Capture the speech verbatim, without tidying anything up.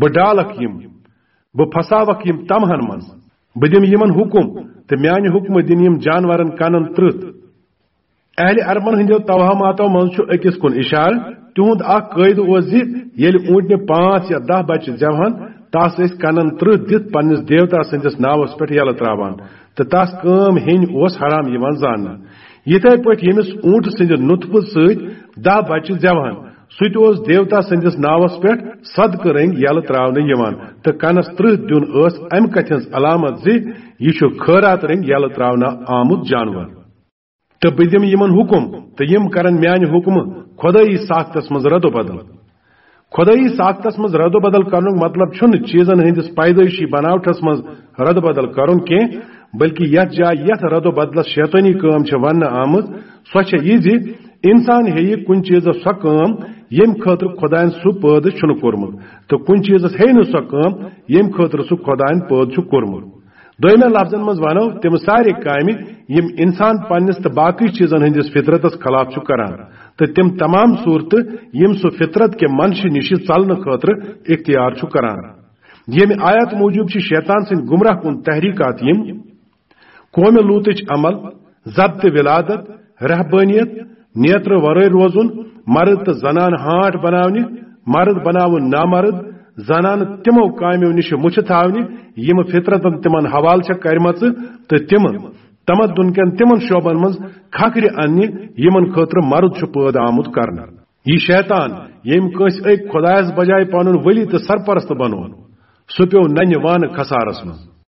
بہٕ ڈالکھ یِم، بہٕ پھساوکھ یِم تمہن منٛز۔ بہٕ دِمہٕ یِمن حُکم، تہٕ میانہِ حُکمہٕ دِنہٕ یِم جانورن کنن ترٕٛتھ۔ اہلِ عربن ہٕنٛدیو توہماتو منٛز چھُ أکِس کُن اِشارٕ۔ تِہُنٛد اکھ قٲعدٕ اوس زِ ییٚلہِ اوٗنٹنہِ پانٛژھ یا دَہ بچہِ زٮ۪وہن، تس ٲسۍ کنن ترٕٛہ دِتھ پننِس دیوتا سٕنٛدِس ناوس پٮ۪ٹھ یلہٕ تراوان تہٕ تس کٲم ہیٚنۍ اوس حرام یِوان زاننہٕ۔ یِتھے پٲٹھۍ ییٚمِس اوٗنٹہٕ سٕنٛدِ نُطفہٕ سۭتۍ دَہ بچہِ زٮ۪وہن، سُہ تہِ اوس دیوتا سٕنٛدِس ناوس پٮ۪ٹھ صدقہٕ رٔنٛگۍ یلہٕ تراونہٕ یِوان، تہٕ کنس ترٕٛہ دیُن ٲس امہِ کتھِ ہٕنٛز علامت زِ یہِ چھُ خٲرات رٔنٛگۍ یلہٕ تراونہٕ آمُت جانور۔ تہٕ بہٕ دِمہٕ یِمن حُکم، تہٕ یِم کرن میانہِ حُکمہٕ خۄدٲیی ساختس منٛز رد و بدل۔ خۄدٲیی ساختس منٛز رد و بدل کرنُک مطلب چھُنہٕ چیٖزن ہٕنٛدِس پیدٲیشی بناوٹھس منٛز رد و بدل کرُن کینٛہہ، بلکہِ یتھ جایہِ یتھ رد و بدلس شیطٲنی کٲم چھےٚ وننہٕ آمٕژ، سۄ چھےٚ یہِ زِ انسان ہیٚیہِ کُنہِ چیٖزس سۄ کٲم، ییٚمہِ خٲطرٕ خۄداین سُہ پٲدٕ چھُنہٕ کوٚرمُت، تہٕ کُنہِ چیٖزس ہیٚیہِ نہٕ سۄ کٲم، ییٚمہِ خٲطرٕ سُہ خۄداین پٲدٕ چھُ کوٚرمُت۔ دوٚیمٮ۪ن لفظن منٛز ونو تِم سارے کامہِ، یِم انسان پننِس تہٕ باقٕے چیٖزن ہٕنٛدِس فطرتس خلاف چھُ کران، تہٕ تِم تمام صوٗرتہٕ، یِم سُہ فطرت کہِ منشہِ نِشہِ ژلنہٕ خٲطرٕ اختیار چھُ کران۔ ییٚمہِ آیت موٗجوٗب چھِ شیطان سٕنٛدۍ گمراہ کُن تحریکات یِم: قومِ لوٗطٕچ عمل، ضبط ولادت، رہبٲنیت، نیترٕ ورٲے روزُن، مرد تہٕ زنان ہانٹ بناونہِ، مرد بناوُن نامرد، زنانہٕ تِمو کامیو نِش مُچھِ تھاونہِ، یِم فطرتن تِمن حوالہٕ چھےٚ کرِمژٕ، تہٕ تِم تمدن کٮ۪ن تِمن شعبن منٛز کھکھرِ اننہِ، یِمن خٲطرٕ مرد چھُ پٲدٕ آمُت کرنہٕ۔ یہِ شیطان، ییٚمۍ کٲنٛسہِ أکۍ خۄدایس بجایہِ پنُن ولی تہٕ سرپرست بنوو، سُہ پیوٚو ننہِ وانہٕ خسارس منٛز۔